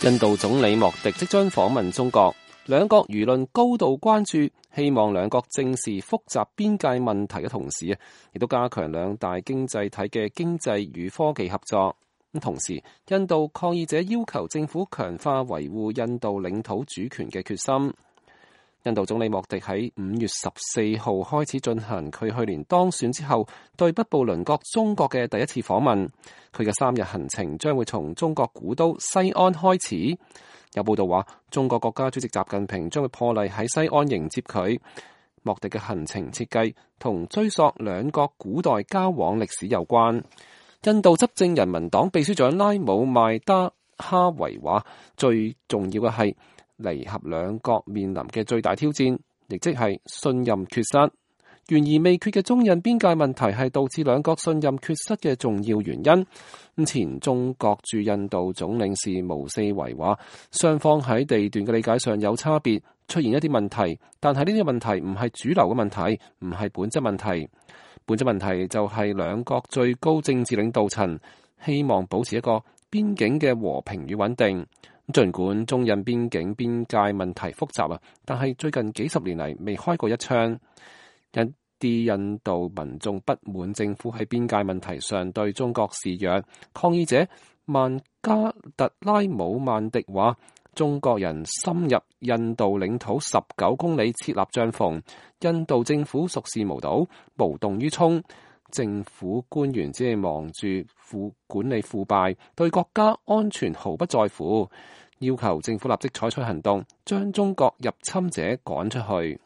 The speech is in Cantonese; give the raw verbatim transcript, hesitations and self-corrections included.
印度總理莫迪即將訪問中國，兩國輿論高度關注，希望兩國正視複雜邊界問題嘅同時啊，亦都加強兩大經濟體嘅經濟與科技合作。咁同時，印度抗議者要求政府強化維護印度領土主權嘅決心。印度總理莫迪喺五月十四號開始進行佢去年當選之後對北部鄰國中國嘅第一次訪問。佢嘅三日行程將會從中國古都西安開始。有報道話，中國國家主席習近平將會破例喺西安迎接佢。莫迪嘅行程設計同追溯兩國古代交往歷史有關。印度執政人民黨秘書長拉姆邁达哈維話，最重要嘅係彌合兩國面臨嘅最大挑戰，亦即係信任缺失。懸而未決嘅中印邊界問題係導致兩國信任缺失嘅重要原因。前中國駐印度總領事毛四維話，雙方喺地段嘅理解上有差別，出現一啲問題，但係呢啲問題唔係主流嘅問題，唔係本質問題。本質問題就係兩國最高政治領導層希望保持一個邊境嘅和平與穩定。儘管中印邊境邊界問題複雜啊，但係最近幾十年嚟未開過一槍。一啲印度民眾不滿政府喺邊界問題上對中國示弱。抗議者曼加特拉姆曼迪話，中國人深入印度領土十九公里設立帳篷，印度政府熟視無睹，無動於衷。政府官員只係忙住腐管理腐敗，對國家安全毫不在乎，要求政府立即採取行動，將中國入侵者趕出去。